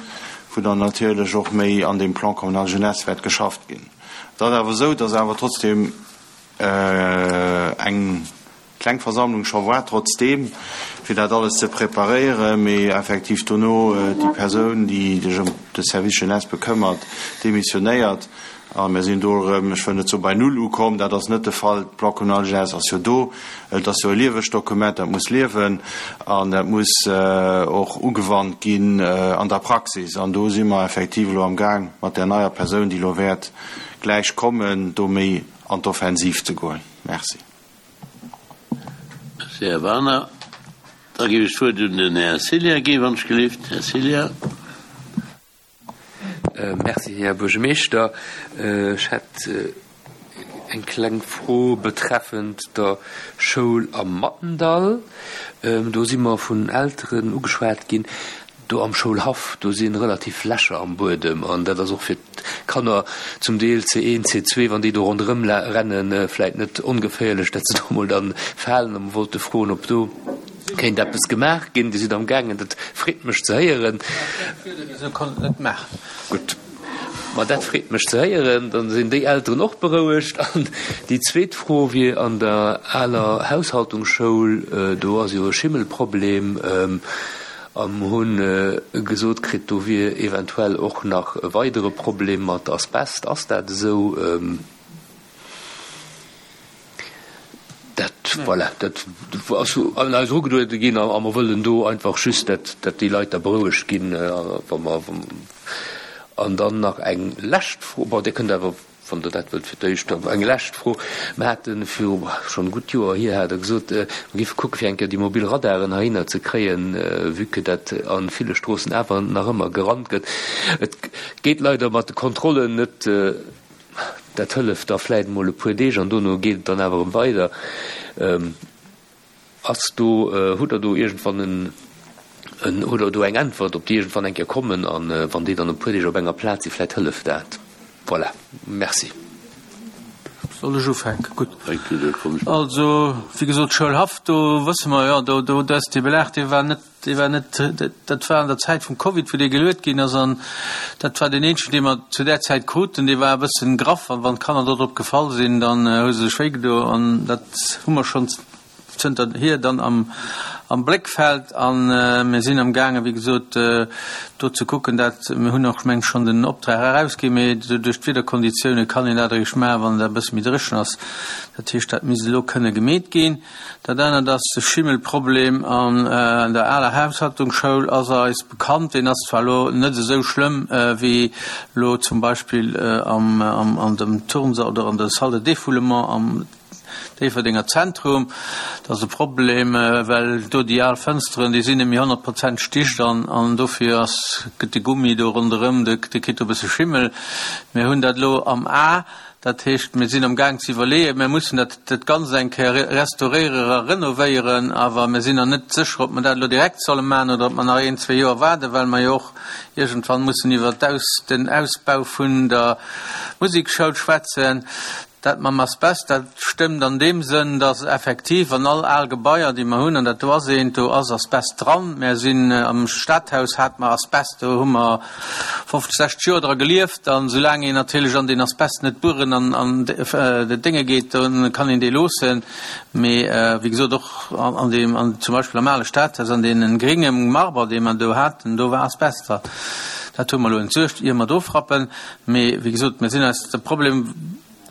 wou dann natierlech och méi an deem Plan communal jeunesse wäert geschafft ginn. Et ass awer esou, dass awer trotzdem eng kleng Versammlung scho war, trotzdeem, fir dat alles ze preparéieren, mee effektiv dono déi Persoun, déi sech ëm de Service jeunesse bekëmmert, demissionéiert. A mir sinn do erëm, ech wëll net soe bei Null ukomm, dat ass net de Fall, de Plan communal jeunesse ass jo do, et ass jo e liewegt Dokument, dat muss liewen an dat muss och ugewannt ginn an der Praxis. An do si mer effektiv elo amgaang, mat där neier Persoun, déi elo wäert gläich kommen, do méi an d'Offensiv ze goen. Merci. Merci, Här Werner. Da géif ech d'Wuert un den Här Cilla ginn, wann ech gelift. Här Cilla. Merci, Här Buergermeeschter. Ech hätt eng kleng Fro betreffend der Schoul am Mattendall. Do si mer vun Elteren ugeschwat ginn, do am Schoulhaff, do si relativ Lächer am Buedem an dat ass och fir d'Kanner zum Deel C een, C zwee, wann déi do ronderëm rennen, vläit net ongeféierlech, datt se do emol dann falen. A mer wollte froen, ob do kéint eppes gemaach ginn. Dir sidd am gaangen, dat freet mech ze héieren. Gutt, ma dat freet mech ze héieren. Dann sinn déi Elteren och berouegt. An déi zweet Fro wier an der aler Haushaltungsschoul, do ass jo e Schimmelproblem. A mer hu gesot kritt, do wier eventuell och nach e weidere Problem mat Asbest. Ass dat esou? Dat, voilà, dat ass un eis erugeduede ginn a mer wëllen do einfach just, dat, dat déi Leit da berouegt ginn, wa mer, an dann nach eng lescht Fro, bon, Dir kënnt awer, wann Der dat wëllt, fir d'éischt dann eng lescht Fro. Mer hate viru schonn gutt Joer hier, hat Der gesot, mer géife kucke fir eng Kéier déi mobil Radaren heihinner ze kréien, vue que dat a ville Stroossen awer nach ëmmer gerannt gëtt. Et geet leider mat de Kontrollen net. Dat hëlleft da vläit emol e puer Deeg an dono geet et dann awer erëm weider. Ass do, hutt Der do iergendwann en, en, hutt Der do eng Äntwert, ob déi iergendwann eng Kéier kommen an wann déi dann e puer Deeg op enger Plaz sinn, vläit hëlleft dat. Voilà, merci. Soll ech ufänken? Gutt. Also, wéi gesot, Schoulhaff, do wësse mer jo, do, do ass dee Belag, dee war net, dee war net, dat war an der Zäit vum Covid, wou dee geluet ginn ass an dat war deen eenzegen, dee mer zu där Zäit kruten. Dee war e bëssen graff an wann d'Kanner do drop gefall sinn, dann hu se sech wéigedo an dat hu mer schonn zënterhier dann am, am Bléckfeld an mir sinn am gaangen, wéi gesot, do ze kucken, dat, mir hunn och, meng ech, schonn den Optrag erausginn, mee duerch d'Wiederkonditioune kann een dat eréischt maachen, wann et e bësse méi dréchen ass. Dat heescht, dat misst elo kënne gemeet ginn. Dat anert ass de Schimmelproblem an der aler Haushaltungsschoul ass eis bekannt. Deen ass zwar elo net esou schlëmm wéi elo zum Beispill am, am, an dem Turnsall oder an der Salle de défoulement am Déifferdenger Zentrum. Dat ass e Problem, well do déi al Fënsteren, déi sinn net méi honnert Prozent dicht an, an dofir ass, gëtt de Gummi do ronderëm, de, de kritt do e bësse Schimmel. Mir hunn dat elo am A. Dat heescht, mir sinn am Gaang ze iwwerleeën, mir mussen dat, dat Ganzt eng Kéier restauréieren a renovéieren, awer mir sinn nach net sécher, ob mer dat elo direkt solle maachen oder ob mer nach een, zwee Joer waarden, well mer jo och iergendwann mussen iwwer d'Aus, den Ausbau vun der Musekschoul schwätzen. Dat mam Asbest, dat stëmmt an deem Sënn, dass effektiv an all al Gebaier, déi mer hunn, an dat do ass eent, do ass Asbest dran. Mer sinn am Stadhaus hate mer Asbest, do hu mer fofzeg, sechzeg Joer dra gelieft. An soulaang een natierlech an deen Asbest net bueren an an de Dénge geet, do kann een dee loossen. Mee wéi gesot, och an deem, an zum Beispill am ale Stadhaus, an deene grénge Marber, dee mer do haten, do war Asbest dran. Dat hu mer elo entsuergt, ier mer do frappen. Mee wéi gesot, mir sinn eis de Problem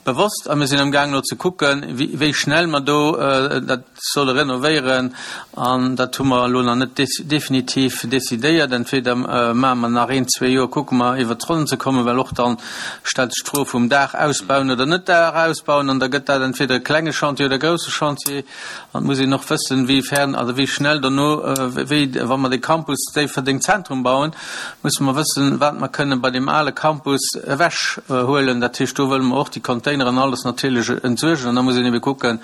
bewosst a mir sinn am Gaang elo ze kucken, wéi schnell mer do dat solle renovéieren. An dat hu mer elo nach net definitiv decidéiert. Entweder maache mer nach een, zwee Joer, kucke mer iwwert d'Ronnen ze kommen, well och dann stellt sech d'Fro vum Daach ausbauen oder net Daach ausbauen. An da gëtt dat entweder e klenge Chantier oder e grousse Chantier. An et muss een och wëssen, wéi fern, also wéi schnell dono, wéi wa mer de Campus Déifferdeng Zentrum bauen, musse mer wëssen, wat mer kënnen bei deem ale Campus ewechhuelen. Dat heescht, do wëlle mer och déi Containeren an alles natierlech entsuergen. An da muss een ebe kucken,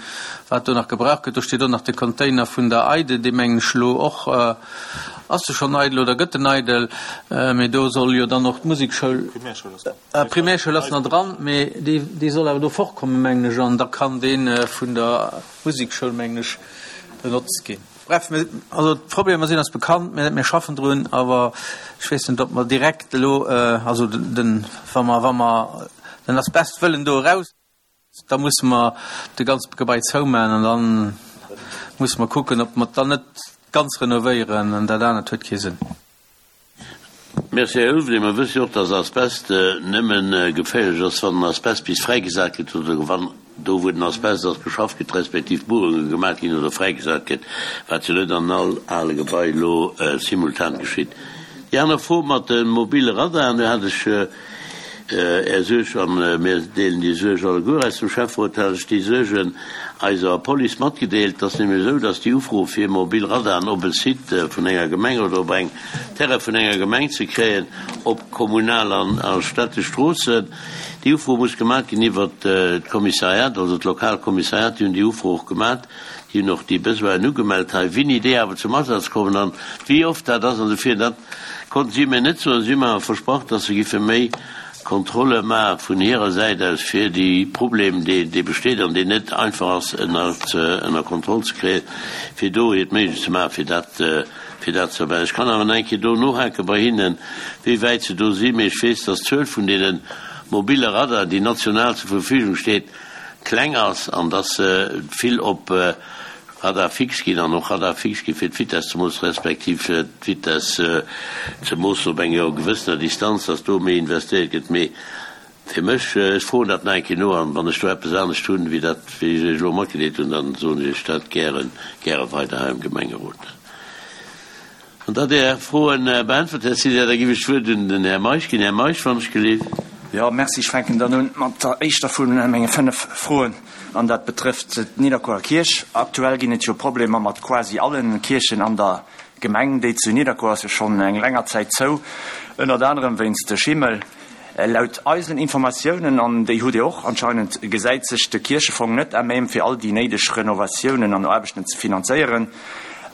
wat do nach gebraucht gëtt. Do steet och nach de Container vun der EIDE, dee mengen ech elo och, ass e schonn eidel oder gëtt en eidel? Mee do soll jo dann och d'Musekschoul, d'Primärschoul ass nach dran, mee déi, déi soll awer do fortkommen, mengen ech, an da kann dee vun der Musekschoul, mengen ech, benotzt ginn. Bref, mir, also d'Problemer sinn eis bekannt, mir, mir schaffen drun, awer ech weess net, ob mer direkt elo, also den, wa mer, wa mer den Asbest wëllen do eraus, da musse mer de ganze Gebai zoumaachen an da musse mer kucken, ob mer et dann net ganz renovéieren, an dat anert huet kee Sënn. Merci, Här Ulveling. Mer wësse jo och, dass Asbest nëmme geféierlech ass, wann den Asbest bis fräigesat gëtt oder wann do, wou den Asbest ass, beschafft gëtt, respektiv Buerunge gemaach ginn oder fräigesat gëtt, wat jo net an all ale Gebai elo simultan geschitt. Déi aner Fro mat de mobile Radaren, do hat ech Är Suerg, a mir deelen déi Suerg alleguer aus dem Schäfferot, hat ech déi Suergen eiser Police matgedeelt. Et ass nämlech esou, dass déi Ufro fir mobil Radaren op e Site vun enger Gemeng oder op eng Terrain vun enger Gemeng ze kréien, op kommunal an a städtesch Stroossen, déi Ufro muss gemaat ginn iwwert d'Kommissariat, also d'lokal Kommissariat. Déi hunn déi Ufro och gemaat, déi hunn och déi Besoinen ugemellt hei. Wéini déi awer zum Asaz kommen an wéi oft dat ass an esou virun, dat konnten si mir net soen. Si hu mer awer versprach, dass se giffe méi Kontrolle maache vun hirer Säit aus, fir dee Problem, dee besteet an deen net einfach ass ënner Kontroll ze kréien, fir do hiert Méiglechst ze maachen, fir dat, fir dat ze erbäi. Ech kann awer nach eng Kéier do nohake bei hinnen, wéi wäit se do sinn, mee ech weess, dass d'Zuel vun deene mobile Radaren, déi national zur Verfügung steet, kleng ass an dass se vill op Radar fixe ginn an och Radar fixe gi fir d'Vitess ze moossen, respektiv fir d'Vitess ze moossen op enger gewëssener Distanz, dass do méi investéiert gëtt. Mee fir mech, ech froen dat nach eng Kéier no an wann ech do eppes anescht hunn, wéi dat, wéi ech Iech elo matgedeelt hunn, dann soen ech Iech dat gären, gäre weider hei am Gemengerot. Wann Der Är Froen beäntwert, Här César, da giff ech d'Wuert un den Här Meisch ginn. Här Meisch, wann ech gelift. Jo, merci. Ech fänken dann un mat der éischter vu menge fënnef Froen, an dat betrëfft d'Nidderkuerer Kierch. Aktuell ginn et jo Problemer mat quasi alle Kierchen an der Gemeng. Déi zu Nidderkuer ass jo schonn eng länger Zäit zou, ënnert anerem wéinst Schimmel. Laut eisen Informatiounen, an déi hutt Dir och anscheinend, gesäit sech de Kierchefong net à même fir all déi néideg Renovatiounen an Aarbechten ze finanzéieren.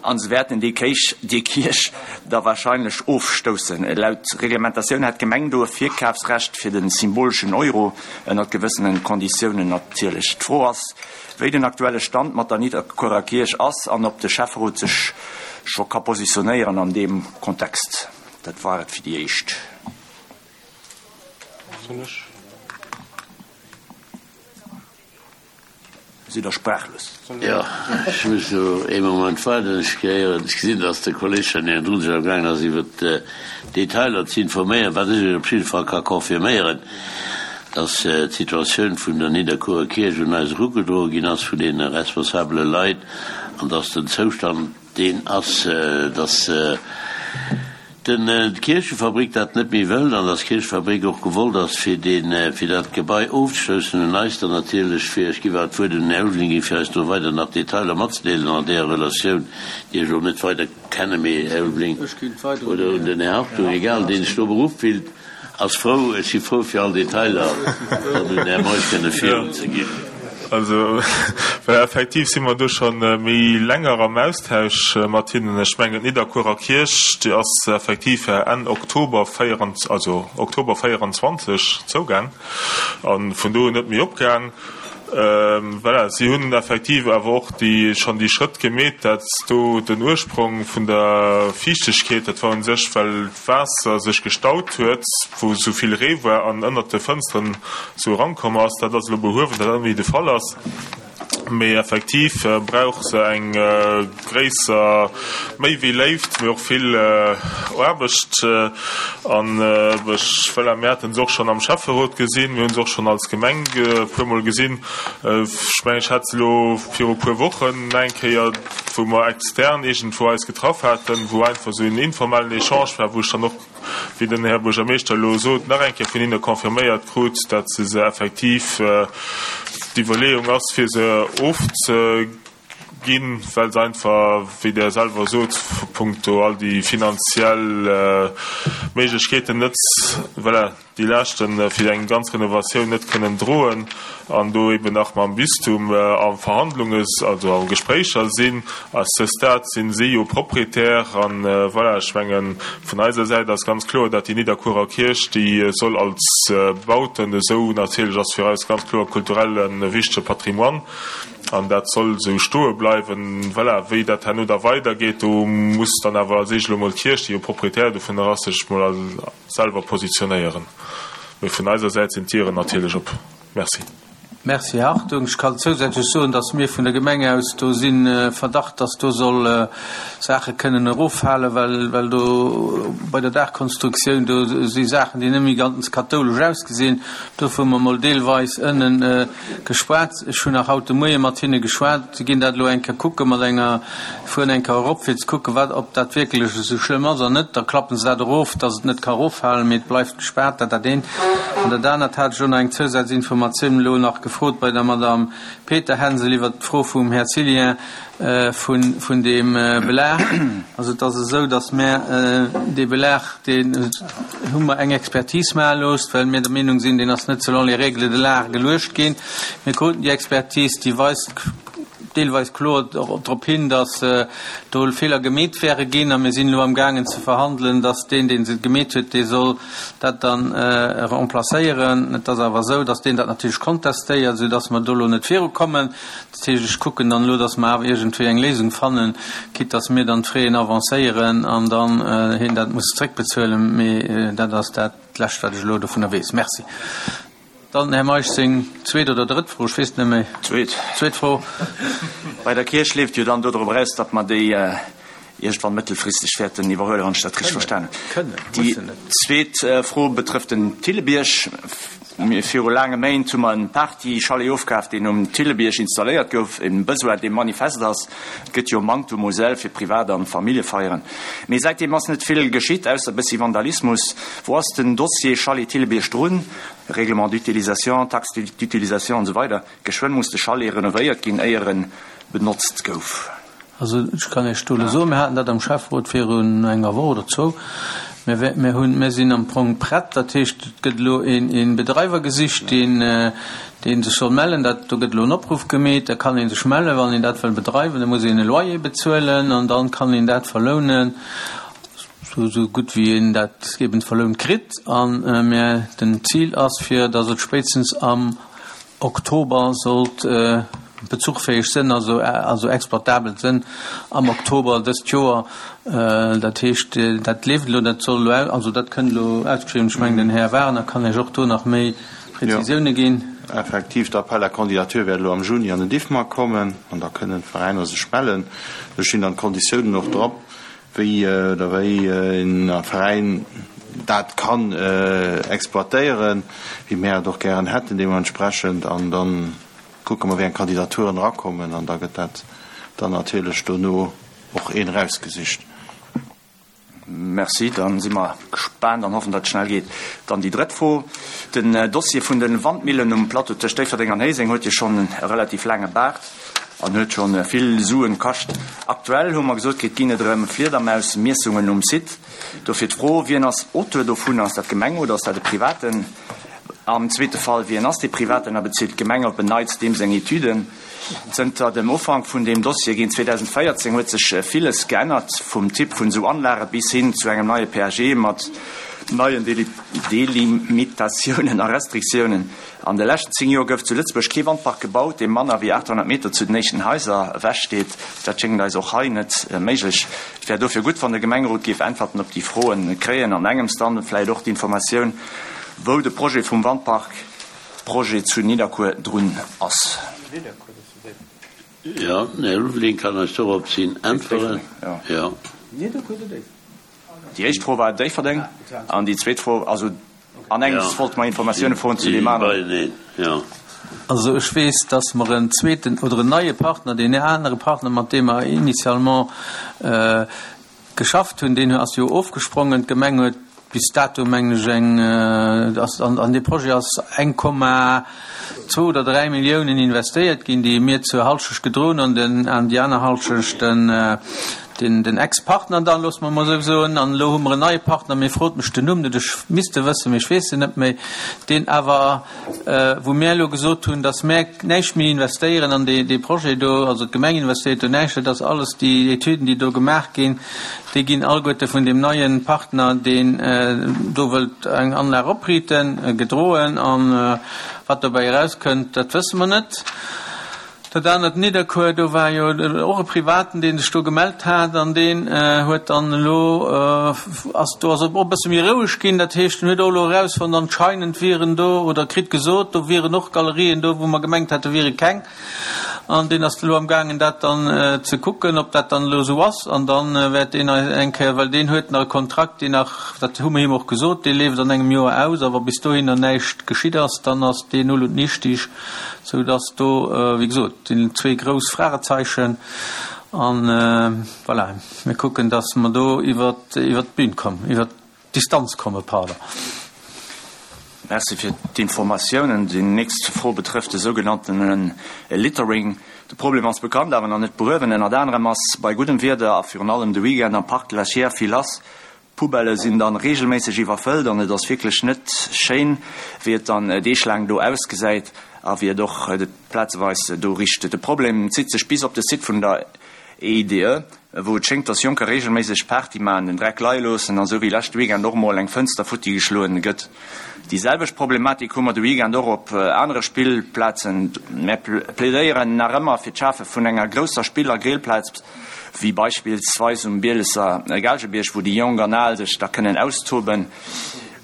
A se wäerten déi Kéich, déi Kierch da wahrscheinlech ofstoussen. Laut Reglementatioun hätt d'Gemeng do e Virkafsrecht fir de symboleschen Euro, ënnert gewëssene Konditiounen natierlech. D'Fro ass, wéi den aktuelle Stand mat der Nidderkuerer Kierch ass an ob de Schäfferot sech scho ka positionéieren an deem Kontext. Dat war et fir déi éischt. Soll ech? Sidd Der sprachlos? Jo, ech muss elo ee Moment waarden. Ech gehéieren, ech gesinn, dass de Kolleg schonn niewendrun sech amgaangen ass, iwwert d'Detailer ze informéieren. Wat ech Iech op jidde Fall ka confirméieren, dass d'Situatioun vun der Nidderkuerer Kierch un eis erugedroe ginn ass vun deene responsabele Leit an dass den Zoustand deen ass, dass d'Kierchefabrik dat net méi wëllt an dass d'Kierchefabrik och gewollt ass, fir deen, fir dat Gebai ofzestoussen, un eis dann natierlech, fir, ech géif awer d'Wuert un den Här Ulveling ginn, fir eis do weider nach Detailer matzedeelen an deeër Relatioun, déi ech elo net weider kennen, mee Här Ulveling, oder un den Här Hartung, egal, deen sech do beruff fillt, Ass frou, ech si frou fir all Detailer dann un den Här Meusch kënne virunzeginn. Also, well effektiv si mer do scho méi länger am Austausch mat hinnen. Ech mengen, d'Nidderkuerer Kierch, déi ass effektiv Enn Oktober, also Oktober véieranzwanzeg zougaang a vun do un net méi opgaang. Voilà, si hunn effektiv awer och déi schonn déi Schrëtt gemeet, dat do den Ursprong vun der Fiichtegkeet, dat war u sech, well d'Waasser sech gestaut huet, wou esou vill Ree war an ënnert de Fënsteren esou erankomm ass. Dat ass elo behuewen, dat dat net méi de Fall ass. Mee effektiv brauch se eng gréisser, méi wéi Léift, mee och vill Aarbecht. An ech, voilà, mir haten se och schonn am Schäfferot gesinn, mir hu se och schonn als Gemeng e puermol gesinn. Ech mengen, ech hat se elo viru e puer Wochen nach eng Kéier, wou mer extern iergendwou eis getraff haten, wou einfach esou en informellen Echange war, wou ech dann och, wéi den Här Buergermeeschter elo sot, nach eng Kéier vun hinne confirméiert krut, datt se se effektiv, d'Iwwerleeung ass, fir se ofzeginn, well se einfach, wéi Der selwer sot, punkto all déi finanziell Méiglechkeeten net, voilà, déi Laaschte fir eng ganz Renovatioun net kënnen droen an do eben nach mam Bistum a Verhandlunge, also a Gespréicher sinn. À ce stade sinn si jo Propriétaire an, voilà, ech mengen, vun eiser Säit ass ganz kloer, datt déi Nidderkuerer Kierch, déi soll als Bauten esou, natierlech ass fir eis ganz kloer kulturell e wichtege Patrimoine an dat soll esou stoe bleiwen. Voilà, wéi dat herno da weidergeet, do muss dann awer als éischt elo mol d'Kierch, déi jo Propriétaire dovunner ass, sech mol selwer positionéieren. Mee vun eiser Säit sinn d'Dieren natierlech op. Merci. Merci, Här Hartung. Ech kann zousätzlech soen, dass mir vun der Gemeng aus do sinn, Verdacht, dass do soll Saache kënnen eroffalen, well, well do bei der Daachkonstruktioun, do si Saachen, déi net méi ganz kathoulesch ausgesinn. Dofir hu mer mol deelweis ënnen geschwat. Ech hunn nach haut de Moie mat hinne geschwat. Si ginn dat elo eng Kéier kucke mat enger, fueren eng Kéier erop, fir ze kucken, wat, ob dat wierklech esou schlëmm ass an net. Da klappen se dat erof, dass et net ka eroffalen, mee et bleift gespaart. Dat dat eent. An dat anert hat ech elo nach eng Zousazinformatioun elo nach gefrot bei der Madame Peterhänsel iwwert d'Fro vum Här Cillien vun, vun deem Belag. Also et ass esou, datt mär dee Belag, deen hu mer eng Expertise maache loosst, well mir der Meenung sinn, deen ass net selon les règles de l'art geluecht ginn. Mir kruten déi Expertise, déi weist deelweis kloer drop hin, datt do Feeler gemeet wäre ginn a mir sinn elo amgaangen ze verhandelen, datt deen, dee se gemeet huet, dee soll dat dann remplacéieren. Et ass awer esou, datt deen dat natierlech kontestéiert, soudatt mer do elo net virukommen. Dat heescht, ech kucken dann elo, datt mer awer iergendwéi eng Léisung fannen, quitte datt mir dann d'Fraien avancéieren an dann hien dat muss zréckbezuelen. Mee dat ass dat Lescht, wat ech elo dovunner weess. Merci. Dann den Här Meisch seng zweet oder drëtt Fro, ech weess et net méi. Zweet. Zweet Fro. Bei der Kierch leeft jo dann dodrop eraus, datt mer déi iergendwann mëttelfristeg wäerten iwwerhuelen, wann ech dat richteg verstanen hunn. Déi zweet Fro betrëfft den Thillebierg. Viru laange Méint hu mer en Party-Chalet ofkaf, deen um Thillebierg installéiert gouf, e Besoin, dee manifest ass. Et gëtt jo e Manktum u Säll fir Privat a Familljefeieren. Mee säitdeem ass net vill geschitt, ausser e bëssi Vandalismus. Wou ass den Dossier Chalet Thillebierg drun? Règlement d'utilisation, Taxe d'utilisation an esou weider. Geschwënn muss de Chalet renovéiert ginn, éier en benotzt gouf. Also ech kann Iech do elo soen, mir haten dat am Schäfferot virun enger Woch oder zwou, mir, mir hunn, mir sinn am Fong prett. Dat heescht, et gëtt elo een, een Bedreiwer gesicht, deen, deen sech soll mellen. Dat, do gëtt elo en Opruff gemeet, da kann ee sech mellen, wann een dat wëll bedreiwen. Da muss een e Loyer bezuelen an dann kann een dat verlounen. Sou gutt wéi een dat eben verlount kritt. A mir, den Zil ass, fir datt et spéitstens am Oktober sollt bezuchfäeg sënn, also also exploitabel sënn am Oktober dëst Joer. Dat heescht, dat leeft elo, dat soll elo, also dat kënnt elo ausgeschriwwen. Ech mengen, den Här Wagener kann Iech och do nach méi Prezisioune ginn. Effektiv, d'Appel à candidature wäert elo am Juni an den DIFMAC kommen an da kënnen d'Veräiner sech mellen. Do stinn dann d'Konditiounen och drop. wéi oder wéi een Veräin dat kann exploitéieren, wéi mär et och gären hätten deementsprechend. An da kucke mer, wéi eng Kandidaturen erakommen an da gëtt dat dann natierlech dono och een erausgesicht. Merci, da si mer gespaant an hoffen, datt et schnell geet. Dann déi drëtt Fro, Den Dossier vun de Wandmillen um Plateau tëscht Déifferdeng an Héiseng huet jo schonn e relativ laange Baart. an huet scho vill Suen kascht. Aktuell, hu mer gesot kritt, ginn et erëm Fliedermausmiessungen um Site. Dofir d'Fro, Wien ass Auteur dovun? Ass dat d'Gemeng oder ass dat e Privaten? Am zweete Fall, Wien ass dee Privaten a bezilt d'Gemeng op en Neits deem seng Etüden? Zënter dem Ufank vun deem Dossier géint zweedausendvéierzéng huet sech villes geännert, vum Typ vun esou Anlage bis hin zu engem neie P A G mat neien Delimitatiounen a Restriktiounen. An de leschten zéng Joer gouf zu Lëtzebuerg kee Wandpark gebaut, dee manner wéi achthonnert Meter zu den éischten Haiser ewech steet. Dat schéngt eis och hei net méiglech. Et wär dofir gutt, wann de Gemengerot géif Äntwerten op déi Froen kréien an engems dann vläicht och d'Informatioun, wou de Projet vum Wandpark-Projet zu Nidderkuer drun ass. Jo, den Här Ulveling kann eis doropshin äntweren. Jo. Déi éischt Fro war Déifferdeng an déi zweet Fro, also an engems wollte mer Informatioune froen zu deem aneren. Also ech weess, dass mer en zweeten oder en neie Partner, deen anere Partner, mat deem mer initialement geschafft hunn, deen ass jo ofgesprongen. D'Gemeng huet bis dato, mengen ech, eng, ass an, an dee Projet ass eng Komma zwou oder dräi Milliounen investéiert ginn, déi mir zur Halschecht gedroen an den, an déi aner Halschecht den, den, den Ex-Partner dann, loosse mer emol esou soen. An elo hu mer en neie Partner, mee frot mech den Numm net, ech misst e wëssen, mee ech weess en net méi, deen awer, wou mär elo gesot hunn, dass mär näischt méi investéieren an dee, dee Projet do, also d'Gemeng investéiert do näischt, et ass alles déi Etüden, déi do gemaach ginn, déi ginn alleguerte vun deem neie Partner, deen do wëllt eng Anlag opriiten, gedroen. A wat dobäi erauskënnt, dat wësse mer net. Dat anert, Nidderkuer, do war jo och e Privaten, dee sech do gemellt hat, an deen huet dann elo, ass, do ass et och e bësse méi roueg ginn. Dat heescht, en huet och elo erausfonnt, anscheinend wieren do, oder kritt gesot, do wieren och Galerien do, wou mer gemengt hate wiere keng. An deen ass elo amgaangen, dat dann ze kucken, ob dat dann elo esou ass. An da wäert deen eis eng Kéier, well deen huet nach e Kontrakt, deen nach, dat hu mer him och gesot, dee leeft an engem Joer aus, a wa bis dohinner näischt geschitt ass, dann ass deen null und nichtig, soudass do, wéi gesot, sinn zwee grouss Fragezeichen. An voilà, mir kucken, dass mer do iwwert d'Bün kommen, iwwert d'Distanz kommen, pardon. Merci fir d'Informatiounen. Déi nächst Fro betrëfft de sougenannte Littering. De Problem ass bekannt, awer nach net behuewen. Ënnert anerem ass bei guddem Wieder a virun allem de Weekend am Parc de la Chiers vill lass. D'Poubellë sinn dann reegelméisseg iwwerfëllt an et ass wierklech net schéin, wéi et dann deeglaang do ausgesäit a wéi et och plazeweis do richt. De Problem zitt sech bis op de Site vun der E I D E, wou et schéngt, dass Jonker reegelméisseg Party maachen, den Dreck leie loossen an esou wéi leschte Weekend och mol eng Fënster futti geschloen gëtt. Déi selwecht Problematik hu mer de Weekend och op anere Spillplazen. Mär plädéieren nach ëmmer fir d'Schafe vun enger grousser Spill a Grillplaz, wéi beispillsweis um Bielesser Gaalgebierg, wou déi Jonk an Al sech da kënnen austoben.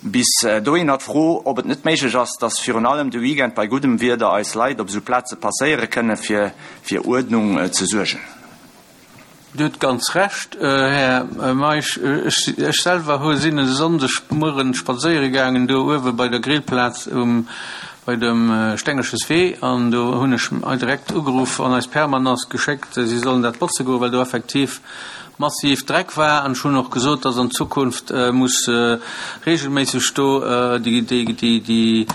Bis dohinner d'Fro, ob et net méiglech ass, dass virun allem de Weekend bei guddem Wieder eis Leit op esou Plaze passéiere kënne fir fir Uerdnung ze suergen. Dir hutt ganz Recht, Här Meisch. Ech selwer hu sinn e Sonndeg Mueren spadséiere gaangen do uewe bei der Grillplaz um bei dem Stengelches Wee an do hunn ech direkt ugeruff an eis Permanence geschéckt, si sollen dat botze goen, well do effektiv massiv Dreck war. An ech hunn och gesot, dass an Zukunft muss regelméisseg do déi déi déi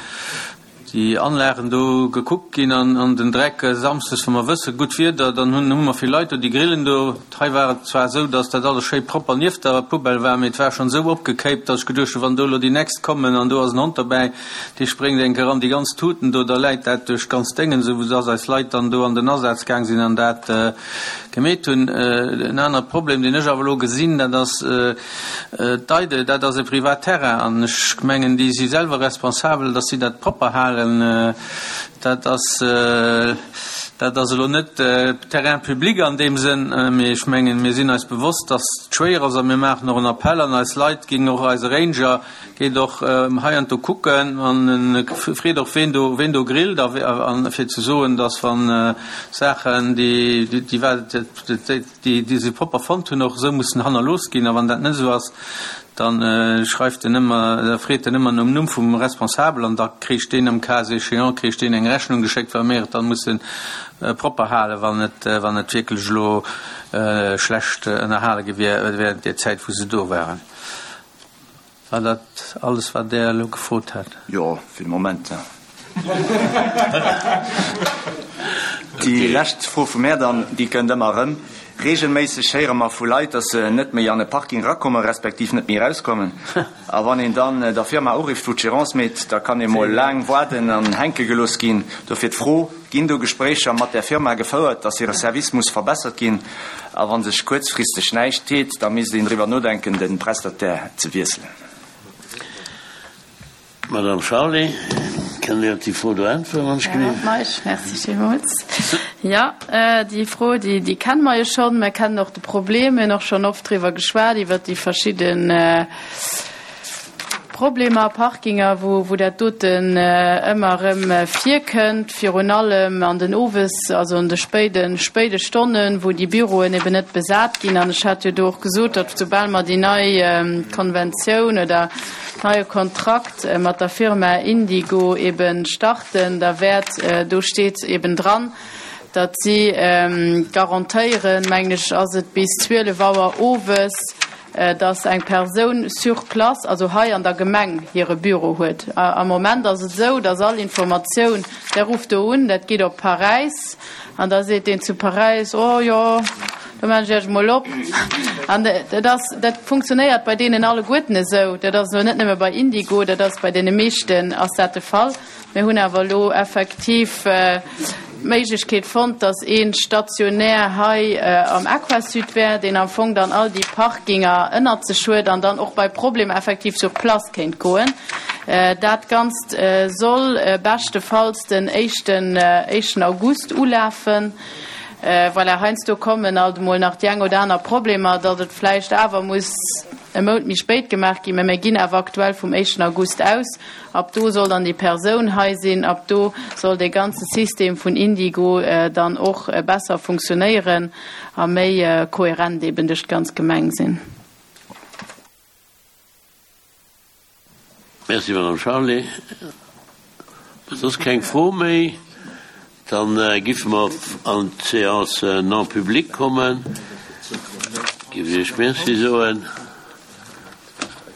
déi Anlagen do gekuckt ginn an an den Dreck samsdes, wa mer wësse gutt Wieder, dann hunn hu mer vill Leit do, déi grillen do. Hei war et zwar esou, dass dat alles schéi propper nieft der Poubelle war, mee et war schonn esou opgekéipt, dass ech geduecht hunn, wann do elo déi nächst kommen an do ass en Hond derbäi, dee spréngt eng Kéier an déi ganz Tuten do, da läit dat duerch d'ganz Déngen, esou dass eis Leit dann do an den Asaz gaang sinn an dat gemeet hunn. En anere Problem, deen ech awer elo gesinn, dat ass d'EIDE, dat ass e privat Terrain an ech mengen, déi si selwer responsabel, dass si dat propper halen. Dat ass, dat ass elo net Terrain public an deem Sënn, mee ech mengen, mir sinn eis bewosst, dass et schwéier ass a mir maachen och en Appell an eis Leit, géing och eise Ranger geet och heiansdo kucken an e freet och ween do, ween do grillt a fir ze soen, dass wann Saachen, déi, déi, déi, déi se propper fonnt hunn, och esou mussen hannerlooss ginn a wann dat net esou ass, dann schreift en ëmmer, da freet en ëmmer nom Numm vum Responsabel an da kricht deen am cas échéant kricht deen eng Rechnung geschéckt, well mir et dann musse propper halen, wann et, wann et wierklech elo schlecht ënnerhale gi wier während där Zäit, wou se do waren. War dat alles, wat Der elo gefrot hat? Jo, fir de Moment. Déi lescht Fro vu mär dann, déi kënnt ëmmer erëm. Reegelméisseg héiere mer vu Leit, dass se net méi an e Parking erakommen, respektiv net méi erauskommen. A wann een dann der Firma urifft, wou d'Gérance meet, da kann ee mol laang waarden an hänke gelooss ginn. Dofir d'Fro, Ginn do Gespréicher mat där Firma gefouert, dass hire Service muss verbessert ginn? A wa sech kuerzfristeg näischt deet, da misst een driwwer nodenken, de Prestataire ze wiesselen. Madame Charlé, kënnt Dir op déi Fro do äntweren, wann ech genee? Meisch, merci villmools. Jo, déi Fro, déi, déi kenne mer jo schonn. Mer kennen och de Problem. Mir hunn och schonn oft driwwer geschwat, iwwert déi verschidden Problemer, Parkinger, wou, wou dat doten ëmmer erëm virkënnt, virun allem an den Owes-, also an de spéiden, spéide Stonnen, wou déi Büroen eben net besat ginn. An ech hat jo do och gesot, datt soubal mer déi nei Konventioun oder neie Kontrakt mat der Firma Indigo eben starten, da wäert, do steet eben dran, datt si garantéieren, mengen ech ass et bis zwielef Auer owes, datt eng Persoun sur place, also hei an der Gemeng, hire Büro huet. Am Moment ass et esou, datt all Informatioun, der rufft do un, dat geet op Paräis an da seet deen zu Paräis, Oh jo, Do maachen ech Iech emol op. An dat ass, dat funktionéiert bei deenen alleguerten esou. Dat ass elo net nëmme bei Indigo, dat ass bei deene meeschten ass dat de Fall. Mir hunn awer elo effektiv d'Méiglechkeet fonnt, dass ee stationär hei am Aquasud wär, deen am Fong dann all déi Parkinger ënnert sech huet an dann och bei Problemer effektiv sur place kéint goen. Dat Ganzt soll beschtefalls den éischten éischten August ulafen. Voilà, heiansdo kommen alt emol nach déi eng oder aner Problemer, datt et vläicht awer muss e Mount méi spéit gemaach ginn, mä mir ginn awer aktuell vum éischten August aus. Ab do soll dann déi Persoun hei sinn, ab do soll dee ganze System vun Indigo dann och besser funktionéieren a méi kohärent eben duerch d'ganz Gemeng sinn. Merci, Madame Charlé. Wa soss keng Fro méi, dann giffe mer an d'Séance non publique kommen. Giff Iech Merci soen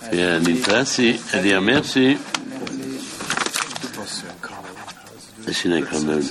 fir Ären Interessi. Äddi a Merci. Ech sinn eng Kanoun.